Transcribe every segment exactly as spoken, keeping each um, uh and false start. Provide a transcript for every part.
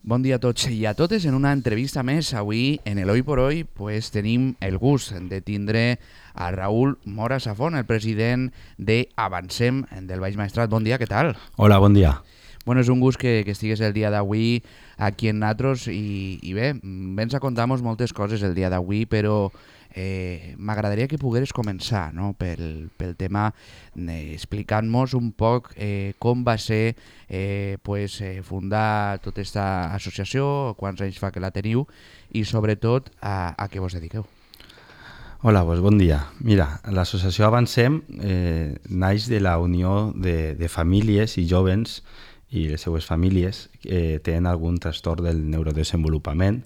Bon dia a tots i a totes. En una entrevista més, avui en el Hoy por Hoy pues, tenim el gust de tindre a Raúl Mora Safón, el president de Avancem del Baix Maestrat. Bon dia, què tal? Hola, bon dia. Bueno, és un gust que, que estigues el dia d'avui aquí en Natros i, i bé, vens a contar-nos moltes coses el dia d'avui, però eh, m'agradaria que pogueres començar, no? pel, pel tema eh, explicant-nos un poc eh, com va ser eh, pues, eh, fundar tota aquesta associació, quants anys fa que la teniu i sobretot a, a què vos dediqueu. Hola, pues bon dia. Mira, l'associació Avancem eh, naix de la unió de, de famílies i jovens i les seues famílies que eh, tenen algun trastorn del neurodesenvolupament,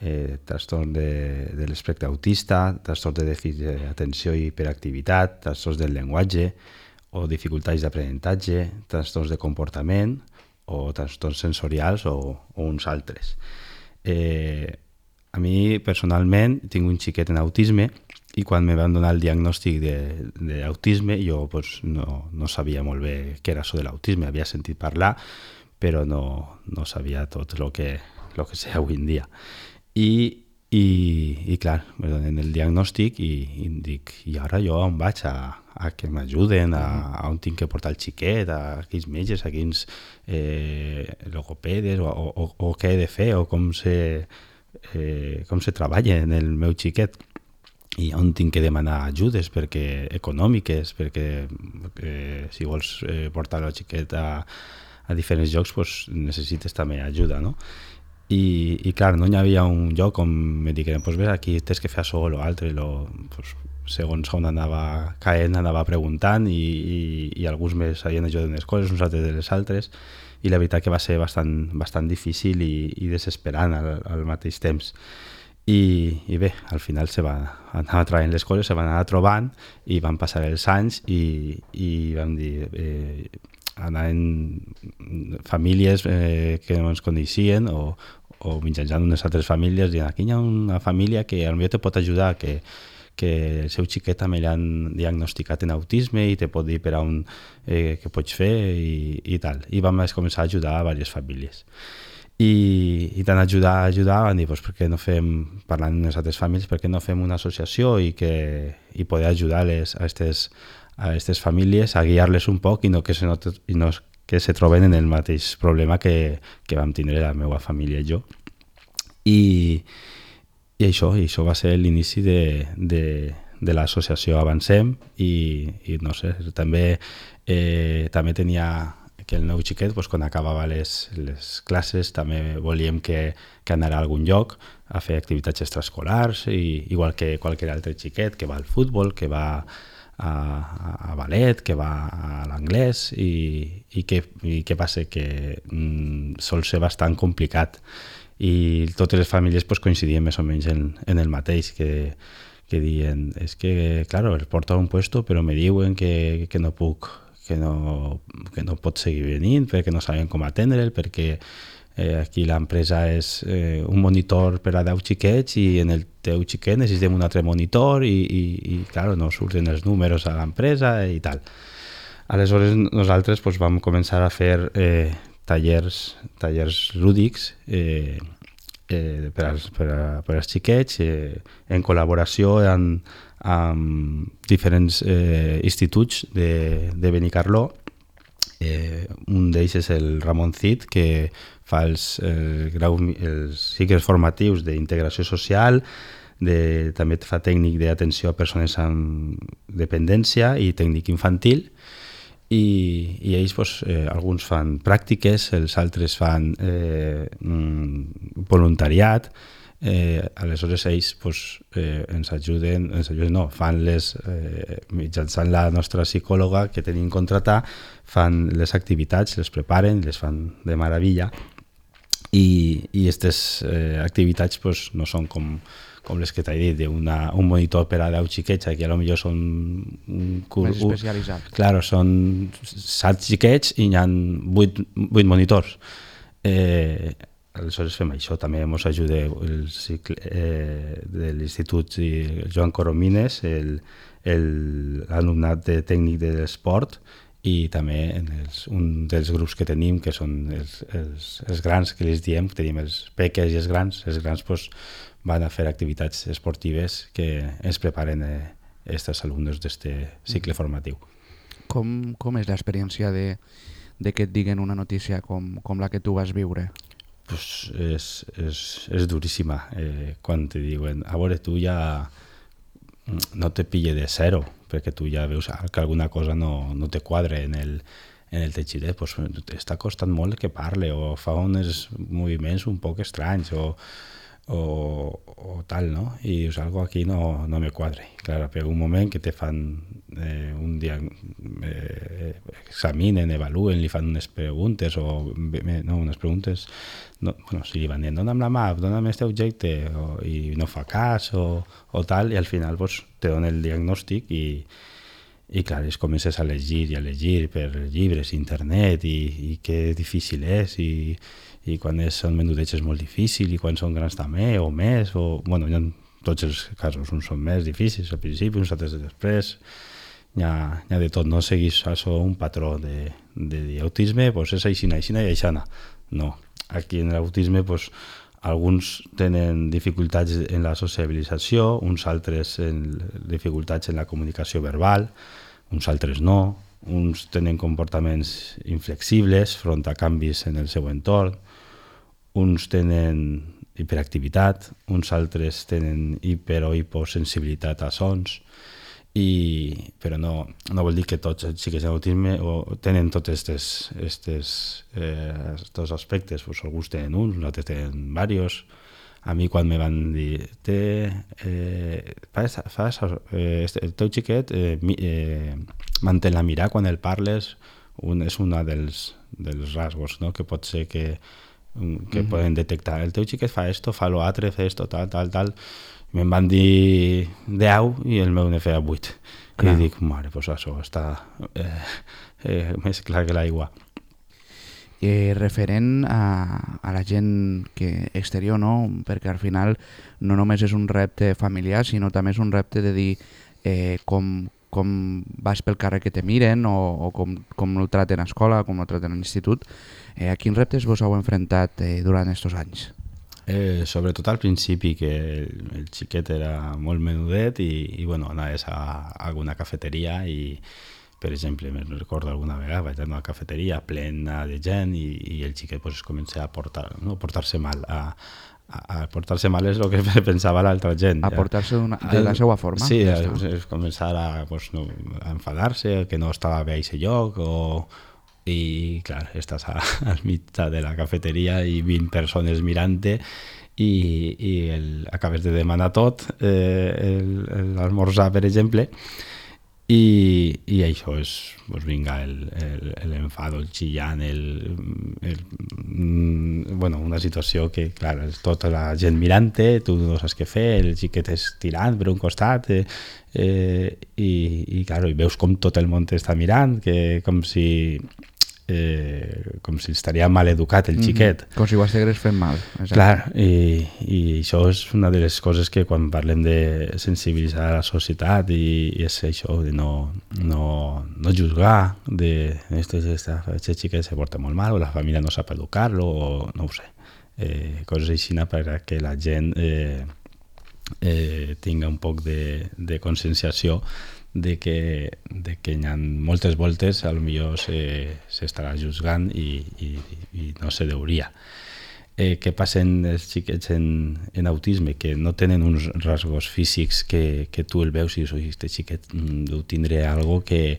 eh, trastorn de, de l'espectre autista, trastorn de dèficit d'atenció i hiperactivitat, trastorns del llenguatge o dificultats d'aprenentatge, trastorns de comportament o trastorns sensorials o, o uns altres. Eh, a mi, personalment, tinc un xiquet en autisme i quan me van donar el diagnòstic d'autisme jo pues, no, no sabia molt bé què era això de l'autisme. Havia sentit parlar, però no, no sabia tot el que, lo que sé avui en dia. I, i, i clar, me donen el diagnòstic i, i dic, i ara jo on vaig a, a que m'ajuden, a, a on tinc que portar el xiquet, a quins metges, a quins eh, logopedes, o, o, o què he de fer, o com se, eh, com se treballa en el meu xiquet. I on tinc que demanar ajudes perquè econòmiques, perquè eh, si vols eh, portar la xiqueta a, a diferents llocs pues, necessites també ajuda, no? I, i clar, no hi havia un lloc on me digueren pues, bé, aquí tens que fer això o l'altre, lo, pues, segons on anava caent anava preguntant i, i, i alguns me sabien ajudar unes coses, uns altres de les altres, i la veritat que va ser bastant, bastant difícil i, i desesperant al, al mateix temps. I, i bé, al final se va anar traient les coses, se van anar trobant i van passar els anys i, i vam dir eh, anar en famílies eh, que no ens coneixien o, o mitjançant unes altres famílies dient aquí hi ha una família que potser te pot ajudar, que, que el seu xiquet també l'han diagnosticat en autisme i te pot dir per on eh, què pots fer i, i tal. I vam començar a ajudar a diverses famílies. I, i tant ajudar, ajudar, van dir, pues, per què no fem, parlant amb les altres famílies, per què no fem una associació i, que, i poder ajudar les, a aquestes a aquestes famílies a guiar-les un poc i no que se, no, i no que se troben en el mateix problema que, que vam tindre la meva família i jo. I, i això, i això va ser l'inici de, de, de l'associació Avancem i, i no sé, també, eh, també tenia que el meu xiquet, doncs, quan acabava les, les classes, també volíem que, que anara a algun lloc a fer activitats extraescolars, i, igual que qualsevol altre xiquet que va al futbol, que va a, a, a ballet, que va a l'anglès, i, i, que, i què passa? Que mm, sol ser bastant complicat. I totes les famílies pues, coincidien més o menys en, en el mateix, que, que diuen, és que, claro, el porto a un puesto, però me diuen que, que no puc que no, que no pot seguir venint, perquè no saben com atendre'l, perquè eh, aquí l'empresa és eh, un monitor per a deu xiquets i en el teu xiquet necessitem un altre monitor i, i, i clar, no surten els números a l'empresa i tal. Aleshores nosaltres pues, vam començar a fer eh, tallers, tallers lúdics eh, eh, per, als, per, a, per als xiquets eh, en col·laboració amb amb diferents eh, instituts de, de Benicarló. Eh, un d'ells és el Ramon Cid, que fa els, el grau, els cicles formatius d'integració social, de, també fa tècnic d'atenció a persones amb dependència i tècnic infantil, i, i ells pues, eh, alguns fan pràctiques, els altres fan eh, voluntariat. Eh, aleshores ells pues, eh, ens ajuden, ens ajuden no, fan les, eh, mitjançant la nostra psicòloga que tenim contratar, fan les activitats, les preparen, les fan de meravella i aquestes eh, activitats pues, no són com, com les que t'he dit, una, un monitor per a deu xiquets, aquí potser són un, més especialitzat. Claro, són set xiquets i hi ha vuit, vuit monitors. Eh, Aleshores fem això, també ens ajuda el cicle eh, de l'Institut Joan Coromines, l'alumnat de tècnic de l'esport, i també en els, un dels grups que tenim, que són els, els, els grans, que els diem, tenim els peques i els grans, els grans pues, van a fer activitats esportives que ens preparen aquests eh, alumnes d'aquest cicle formatiu. Com, com és l'experiència de, de que et diguen una notícia com, com la que tu vas viure? Pues és, és, és duríssima. Eh, quan te diuen, a veure, tu ja no te pille de zero, perquè tu ja veus que alguna cosa no, no te quadra en el, en el teixidor, pues, està costant molt que parle o fa uns moviments un poc estranys o, o, o tal, no? I dius, algo aquí no, no me quadre. Clar, per un moment que te fan eh, un dia, eh, examinen, evaluen, li fan unes preguntes o no, unes preguntes, no, bueno, si li van dient, dona'm la mà, dona'm este objecte o, i no fa cas o, o tal, i al final pues, te donen el diagnòstic i i clar, es comences a llegir i a llegir per llibres, internet i, i que difícil és i, i quan és, són menudets és molt difícil i quan són grans també o més o, bueno, hi ha tots els casos, uns són més difícils al principi, uns altres després hi ha, hi ha de tot, no seguís això un patró de, de dir autisme, doncs és aixina, aixina i aixana, no, aquí en l'autisme doncs alguns tenen dificultats en la sociabilització, uns altres en dificultats en la comunicació verbal, uns altres no, uns tenen comportaments inflexibles front a canvis en el seu entorn, uns tenen hiperactivitat, uns altres tenen hiper o hiposensibilitat a sons, i, però no, no vol dir que tots els xiquets amb autisme o tenen tots aquests eh, aspectes, pues, alguns tenen uns, altres tenen diversos. A mi quan me van dir té, eh, fas, fas, eh, el teu xiquet eh, eh, mantén la mirada quan el parles, un, és un dels, dels rasgos, no? Que pot ser que, que mm-hmm. poden detectar el teu xiquet fa esto, fa lo altre, fa esto, tal, tal, tal. Me'n van dir deu i el meu ne feia vuit. I dic, mare, doncs això està eh, eh, més clar que l'aigua. Eh, referent a, a la gent que exterior, no? Perquè al final no només és un repte familiar, sinó també és un repte de dir eh, com, com vas pel carrer que te miren o, o com, com el traten a escola, com el traten a l'institut. Eh, a quins reptes vos heu enfrontat eh, durant aquests anys? Eh, sobretot al principi, que el, el xiquet era molt menudet i, i bueno, anaves a, a alguna cafeteria i, per exemple, me recordo alguna vegada vaig anar a una cafeteria plena de gent i, i el xiquet pues, comença a portar, no, portar-se mal. A, a, a portar-se mal és el que pensava l'altra gent. A portar-se de la seva forma? Sí, a, a començar a, pues, no, a enfadar-se, que no estava bé a aquest lloc o... i clar, estàs a, al mig de la cafeteria i vint persones mirant-te i, i el, acabes de demanar tot, eh, l'almorzar, per exemple, i, i això és, doncs vinga, l'enfado, el, el, el xillant, el, el, bueno, una situació que, clar, és tota la gent mirant-te, tu no saps què fer, el xiquet és tirant per un costat, eh, eh, i, i, clar, i veus com tot el món t'està mirant, que com si... Eh, com si estaria mal educat el xiquet. Mm-hmm. Com si ho estigués fent mal. Exacte. Clar, i, i això és una de les coses que quan parlem de sensibilitzar la societat i, i és això, de no, no, no juzgar, de este, este, este xiquet se porta molt mal o la família no sap educar-lo o no ho sé. Eh, coses així perquè la gent eh, eh, tinga un poc de, de conscienciació de que, de que hi ha moltes voltes potser s'estarà juzgant i, i, i no se deuria. Eh, què passen els xiquets en, en autisme? Que no tenen uns rasgos físics que, que tu el veus i dius, oi, este xiquet deu tindre algo que,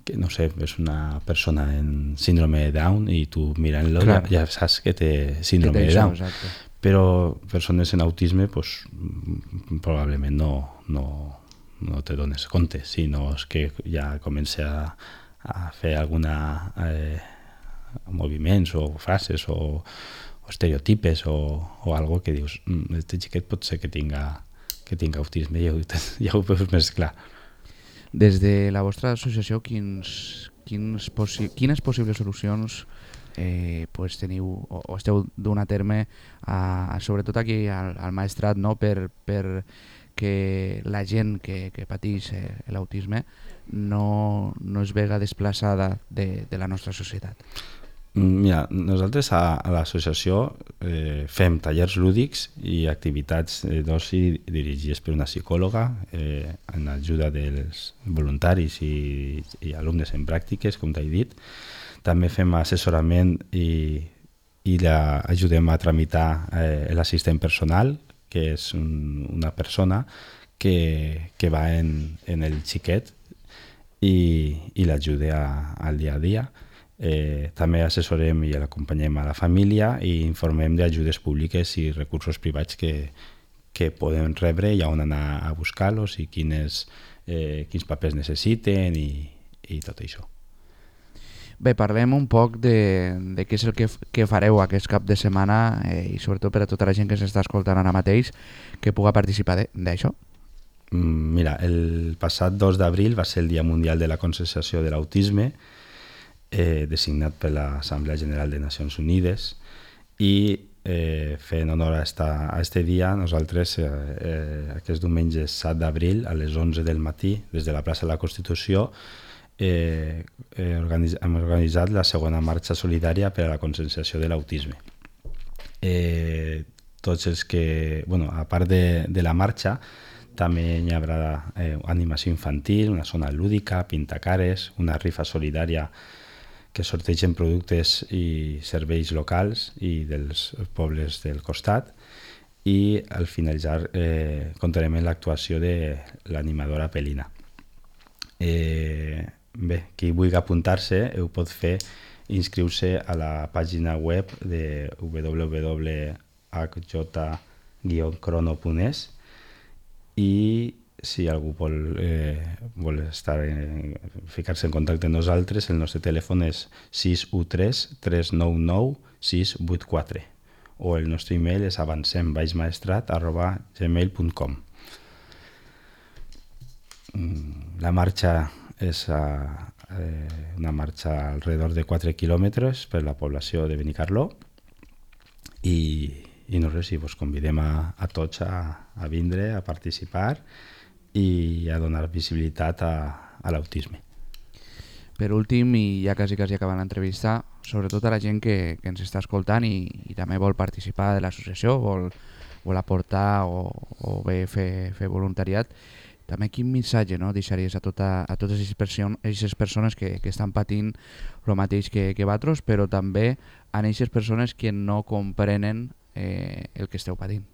que, no sé, és una persona en síndrome de Down i tu mirant-lo ja, ja saps que té síndrome que de Down. Exacte. Però persones en autisme pues, probablement no... no no te dones compte, sinó que ja comença a, a fer alguna eh, moviments o frases o, o estereotipes o, o algo que dius, este xiquet pot ser que tinga, que tinga autisme, ja ho, ja ho veus més clar. Des de la vostra associació, quins, quins possi quines possibles solucions eh, pues teniu o, o esteu donant a terme, a, a, sobretot aquí al, al Maestrat, no? per, per que la gent que, que pateix eh, l'autisme no, no es vega desplaçada de, de la nostra societat? Mira, nosaltres a, a l'associació eh, fem tallers lúdics i activitats eh, d'oci dirigides per una psicòloga eh, en ajuda dels voluntaris i, i alumnes en pràctiques, com t'he dit. També fem assessorament i, i la, ajudem a tramitar eh, l'assistent personal, que és un, una persona que, que va en, en el xiquet i, i l'ajuda al dia a dia. Eh, també assessorem i l'acompanyem a la família i informem d'ajudes públiques i recursos privats que, que poden rebre i on anar a buscar-los i quines, eh, quins papers necessiten i, i tot això. Bé, parlem un poc de, de què és el que, que fareu aquest cap de setmana eh, i sobretot per a tota la gent que s'està escoltant ara mateix que puga participar d'això. Mira, el passat dos d'abril va ser el Dia Mundial de la Conscienciació de l'Autisme, Eh, designat per l'Assemblea General de Nacions Unides, i eh, fent honor a aquest dia nosaltres eh, eh, aquest diumenge set d'abril a les onze del matí des de la plaça de la Constitució eh, eh, organitz hem organitzat la segona marxa solidària per a la conscienciació de l'autisme. Eh, tots els que, bueno, a part de, de la marxa, també hi haurà eh, animació infantil, una zona lúdica, pintacares, una rifa solidària que sortegen productes i serveis locals i dels pobles del costat, i al finalitzar eh, comptarem amb l'actuació de l'animadora Pelina. Eh, bé, qui vulgui apuntar-se ho pot fer inscriure a la pàgina web de w w w punt h j guion crono punt e s i si algú vol, eh, vol estar en, ficar-se en contacte amb nosaltres, el nostre telèfon és sis u tres tres nou nou sis vuit quatre o el nostre email és avancem baixmaestrat arroba gmail punt com. La marxa és a, eh, una marxa alrededor de quatre quilòmetres per la població de Benicarló i, i no res, si vos convidem a, a tots a, a vindre, a participar i a donar visibilitat a, a l'autisme. Per últim, i ja quasi quasi acabant l'entrevista, sobretot a la gent que, que ens està escoltant i, i també vol participar de l'associació, vol, vol aportar o, o bé fer, fer voluntariat, també quin missatge no, deixaries a, tota, a totes aquestes persones que, que estan patint el mateix que, que vosaltres, però també a aquestes persones que no comprenen eh, el que esteu patint?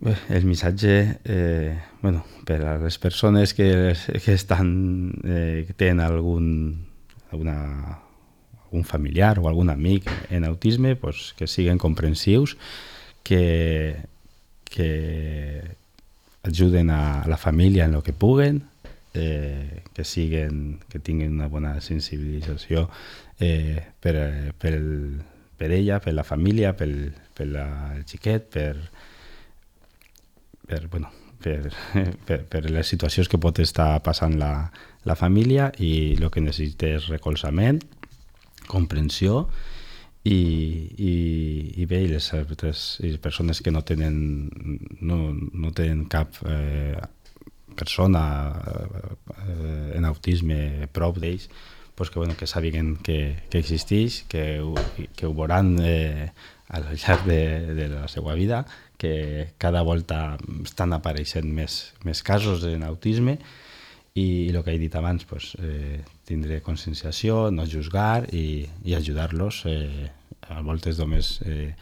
Bé, el missatge, eh, bueno, per a les persones que, que estan, eh, que tenen algun, alguna, algun familiar o algun amic en autisme, pues, que siguen comprensius, que, que ajuden a la família en el que puguen, eh, que, siguen, que tinguin una bona sensibilització eh, per, per, el, per ella, per la família, per, per la, el xiquet, per Per, bueno, per, per, per les situacions que pot estar passant la, la família, i el que necessita és recolzament, comprensió i, i, i bé, i les altres i les persones que no tenen, no, no tenen cap eh, persona eh, en autisme prop d'ells, pues que, bueno, que sàpiguen que, que existeix, que, que ho veuran eh, al llarg de, de la seva vida, que cada volta estan apareixent més, més casos en autisme, i el que he dit abans, pues, eh, tindre conscienciació, no juzgar i, i ajudar-los, eh, a voltes només eh,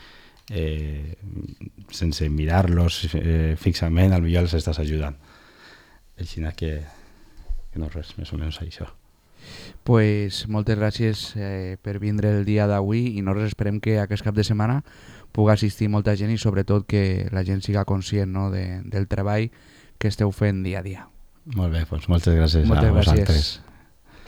eh, sense mirar-los eh, fixament, al millor els estàs ajudant. Així que, que no res, més o menys això. Pues moltes gràcies eh, per vindre el dia d'avui, i nosaltres esperem que aquest cap de setmana pugui assistir molta gent i sobretot que la gent siga conscient, no, de, del treball que esteu fent dia a dia. Molt bé, doncs moltes gràcies moltes a vosaltres. Gràcies.